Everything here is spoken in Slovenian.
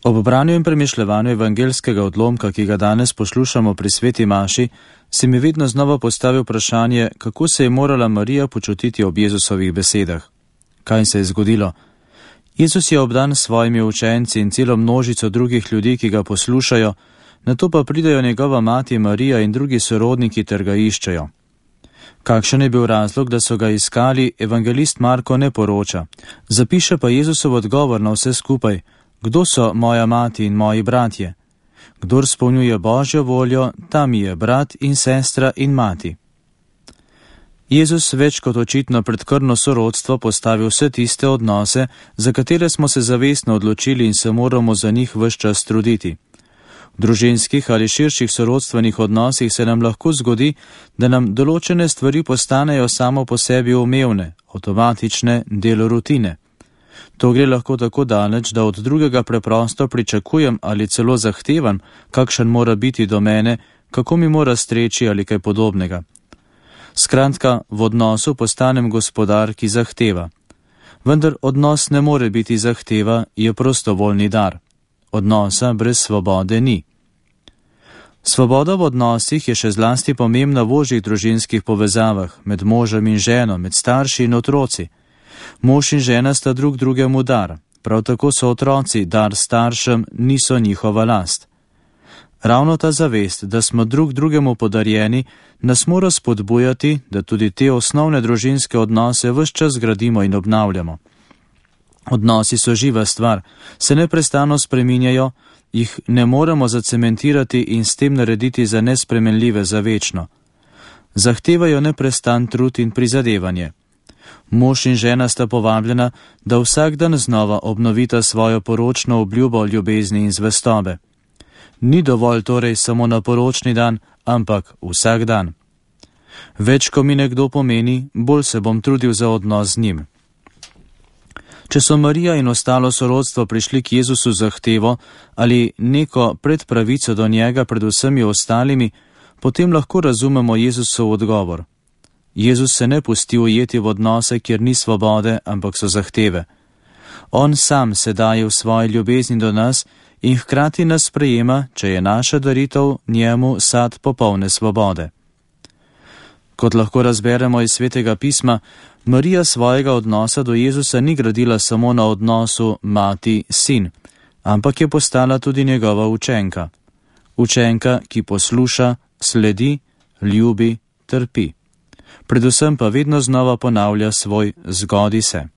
Ob branju in premišljevanju evangelskega odlomka, ki ga danes poslušamo pri sveti maši, se mi vedno znova postavi vprašanje, kako se je morala Marija počutiti ob Jezusovih besedah. Kaj se je zgodilo? Jezus je obdan s svojimi učenci in celo množico drugih ljudi, ki ga poslušajo, nato pa pridejo njegova mati Marija in drugi sorodniki ter ga iščejo. Kakšen je bil razlog, da so ga iskali, evangelist Marko ne poroča. Zapiše pa Jezusov odgovor na vse skupaj: Kdo so moja mati in moji bratje? Kdor spolnjuje Božjo voljo, ta mi je brat in sestra in mati. Jezus več kot očitno pred krvno sorodstvo postavi vse tiste odnose, za katere smo se zavestno odločili in se moramo za njih ves čas truditi. V družinskih ali širših sorodstvenih odnosih se nam lahko zgodi, da nam določene stvari postanejo samo po sebi umevne, avtomatične, del rutine. To gre lahko tako daleč, da od drugega preprosto pričakujem ali celo zahtevam, kakšen mora biti do mene, kako mi mora streči ali kaj podobnega. Skratka, v odnosu postanem gospodar, ki zahteva. Vendar odnos ne more biti zahteva, je prostovoljni dar. Odnosa brez svobode ni. Svoboda v odnosih je še zlasti pomembna v ožjih družinskih povezavah, med možem in ženo, med starši in otroci. Mož in žena sta drug drugemu dar, prav tako so otroci dar staršem, niso njihova last. Ravno ta zavest, da smo drug drugemu podarjeni, nas mora spodbujati, da tudi te osnovne družinske odnose ves čas gradimo in obnavljamo. Odnosi so živa stvar, se neprestano spreminjajo, jih ne moremo zacementirati in s tem narediti za nespremenljive za večno. Zahtevajo neprestan trud in prizadevanje. Mož in žena sta povabljena, da vsak dan znova obnovita svojo poročno obljubo ljubezni in zvestobe. Ni dovolj torej samo na poročni dan, ampak vsak dan. Več, ko mi nekdo pomeni, bolj se bom trudil za odnos z njim. Če so Marija in ostalo sorodstvo prišli k Jezusu zahtevo ali neko predpravico do njega pred vsemi ostalimi, potem lahko razumemo Jezusov odgovor. Jezus se ne pusti ujeti v odnose, kjer ni svobode, ampak so zahteve. On sam se daje v svoji ljubezni do nas in hkrati nas sprejema, če je naša daritev njemu sad popolne svobode. Kot lahko razberemo iz Svetega pisma, Marija svojega odnosa do Jezusa ni gradila samo na odnosu mati-sin, ampak je postala tudi njegova učenka. Učenka, ki posluša, sledi, ljubi, trpi. Predvsem pa vedno znova ponavlja svoj zgodi se.